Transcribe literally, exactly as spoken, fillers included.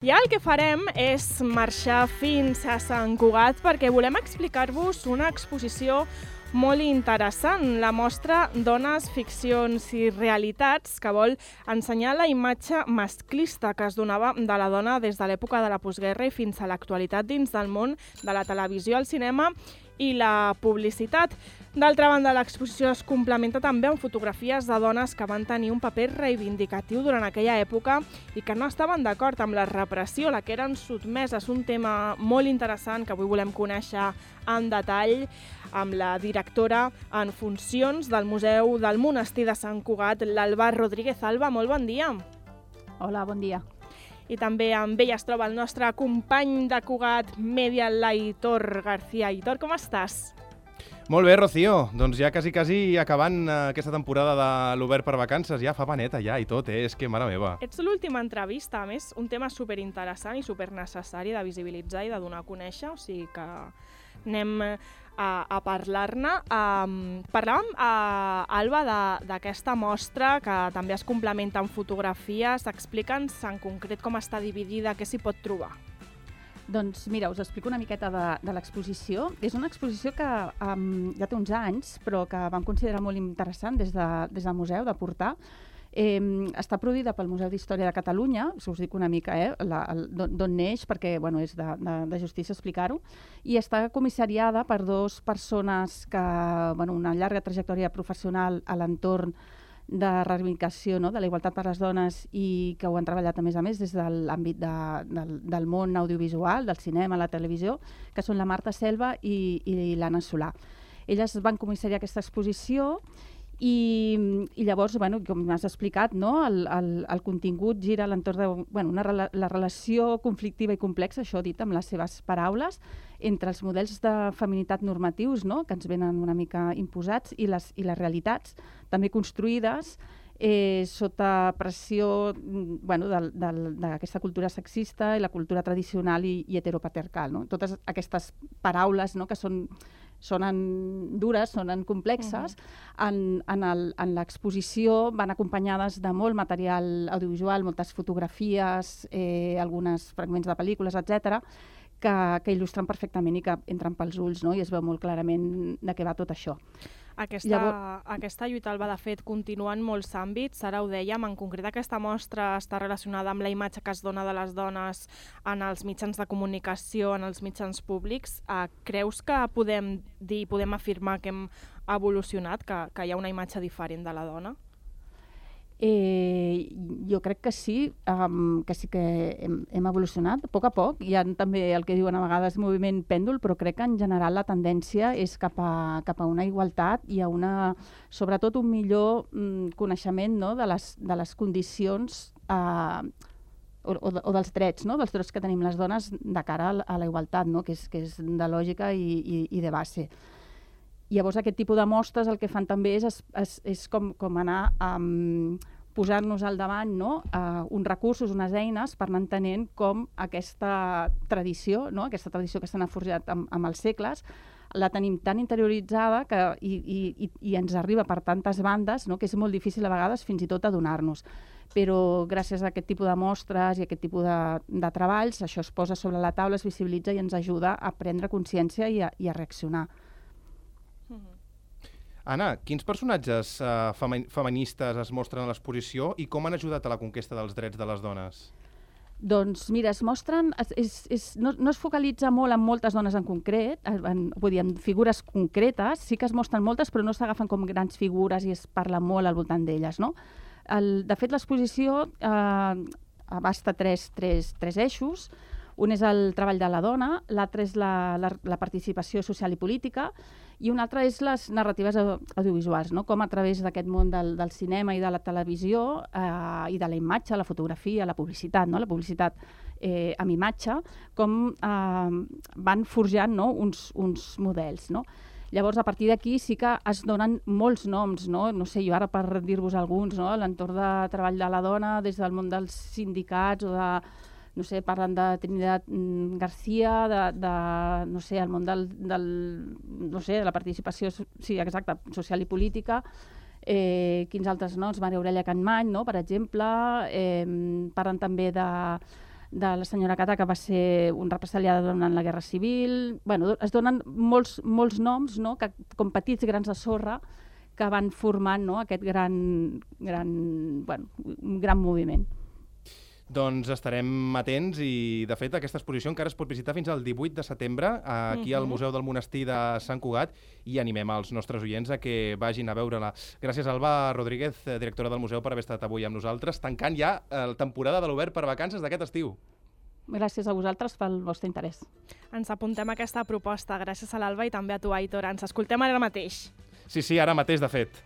I el que farem és marxar fins a Sant Cugat perquè volem explicar-vos una exposició molt interessant, la mostra Dones, ficcions i realitats, que vol ensenyar la imatge masclista que es donava de la dona des de l'època de la postguerra i fins a l'actualitat dins del món de la televisió, el cinema i la publicitat. D'altra banda, l'exposició es complementa també amb fotografies de dones que van tenir un paper reivindicatiu durant aquella època i que no estaven d'acord amb la repressió a la que eren sotmeses. Un tema molt interessant que avui volem conèixer en detall amb la directora en funcions del Museu del Monestir de Sant Cugat, l'Alba Rodríguez. Alba, molt bon dia. Hola, bon dia. I també amb ella es troba el nostre company de Cugat Media, l'Aitor García. Aitor, com estàs? Molt bé, Rocío. Doncs ja quasi, quasi acabant aquesta temporada de l'Obert per Vacances. Ja fa paneta ja i tot, eh? És que, mare meva. Ets l'última entrevista, a més, un tema superinteressant i supernecessari de visibilitzar i de donar a conèixer, o sigui que anem a, a parlar-ne. Um, parlàvem, uh, Alba, d'aquesta mostra que també es complementa amb fotografies. Explica'ns en concret com està dividida, què s'hi pot trobar. Doncs mira, us explico una miqueta de, de l'exposició. És una exposició que um, ja té uns anys, però que vam considerar molt interessant des, de, des del museu de portar. Eh, està produïda pel Museu d'Història de Catalunya, us dic una mica eh, d'on neix, perquè bueno, és de, de, de justícia explicar-ho, i està comissariada per dues persones que, bueno, una llarga trajectòria professional a l'entorn de reivindicació, no?, de la igualtat per les dones i que ho han treballat a més a més des de l'àmbit de, del, del món audiovisual, del cinema, la televisió, que són la Marta Selva i, i l'Anna Solà. Elles van comissariar aquesta exposició i, i llavors, bueno, com m'has explicat, no?, el, el, el contingut gira a l'entorn de bueno, una, la relació conflictiva i complexa, això dit amb les seves paraules, entre els models de feminitat normatius, no?, que ens venen una mica imposats, i les, i les realitats, també construïdes eh, sota pressió bueno, d'aquesta cultura sexista i la cultura tradicional i, i heteropatriarcal. No? Totes aquestes paraules, no?, que són sonen dures, sonen complexes, uh-huh. en, en, el, en l'exposició van acompanyades de molt material audiovisual, moltes fotografies, eh, alguns fragments de pel·lícules, etcètera, que, que il·lustren perfectament i que entren pels ulls, no? I es veu molt clarament de què va tot això. Aquesta, Llavors... aquesta lluita, Alba, de fet, continua en molts àmbits. Ara ho dèiem, en concret aquesta mostra està relacionada amb la imatge que es dona de les dones en els mitjans de comunicació, en els mitjans públics. Uh, creus que podem dir, podem afirmar que hem evolucionat, que, que hi ha una imatge diferent de la dona? Eh, jo crec que sí, um, que sí que hem, hem evolucionat a poc a poc. Hi ha també el que diuen a vegades moviment pèndol, però crec que en general la tendència és cap a, cap a una igualtat i a una, sobretot un millor mm, coneixement, no?, de, les, de les condicions eh, o, o, o dels drets, no?, dels drets que tenim les dones de cara a la igualtat, no?, que és, que és de lògica i, i, i de base. Llavors, aquest tipus de mostres el que fan també és, és, és com, com anar a um, posar-nos al davant, no?, uh, uns recursos, unes eines per anar entenent com aquesta tradició, no?, aquesta tradició que s'ha forjat amb, amb els segles, la tenim tan interioritzada que, i, i, i ens arriba per tantes bandes, no?, que és molt difícil a vegades fins i tot adonar-nos. Però gràcies a aquest tipus de mostres i a aquest tipus de, de treballs, això es posa sobre la taula, es visibilitza i ens ajuda a prendre consciència i a, i a reaccionar. Anna, quins personatges uh, femi feministes es mostren a l'exposició i com han ajudat a la conquesta dels drets de les dones? Doncs mira, es mostren, es, és, és, no, no es focalitza molt en moltes dones en concret, en, vull dir, en figures concretes, sí que es mostren moltes, però no s'agafen com grans figures i es parla molt al voltant d'elles, no? El, de fet, l'exposició eh, abasta tres, tres, tres eixos. Un és el treball de la dona, l'altre és la, la, la participació social i política, i un altre és les narratives audiovisuals, no? Com a través d'aquest món del, del cinema i de la televisió eh, i de la imatge, la fotografia, la publicitat, no? La publicitat eh, amb imatge, com eh, van forjant, no?, uns, uns models, no? Llavors, a partir d'aquí sí que es donen molts noms, no? No sé, jo ara per dir-vos alguns, no?, l'entorn de treball de la dona des del món dels sindicats o de no sé, parlen de Trinidad García, de, de no sé, el món del, del, no sé, de la participació, sí, exacte, social i política, eh, quins altres noms, Maria Aurelia Campmany, no?, per exemple, eh, parlen també de, de la senyora Cata, que va ser un represaliada durant la Guerra Civil. Bueno, es donen molts, molts noms, no?, que, com petits grans de sorra, que van formant, no?, aquest gran, gran, bueno, un gran moviment. Doncs estarem atents i, de fet, aquesta exposició encara es pot visitar fins al divuit de setembre aquí al Museu del Monestir de Sant Cugat i animem els nostres oients a que vagin a veure-la. Gràcies, Alba Rodríguez, directora del museu, per haver estat avui amb nosaltres, tancant ja la temporada de l'Obert per Vacances d'aquest estiu. Gràcies a vosaltres pel vostre interès. Ens apuntem a aquesta proposta. Gràcies a l'Alba i també a tu, Aitor. Ens escoltem ara mateix. Sí, sí, ara mateix, de fet.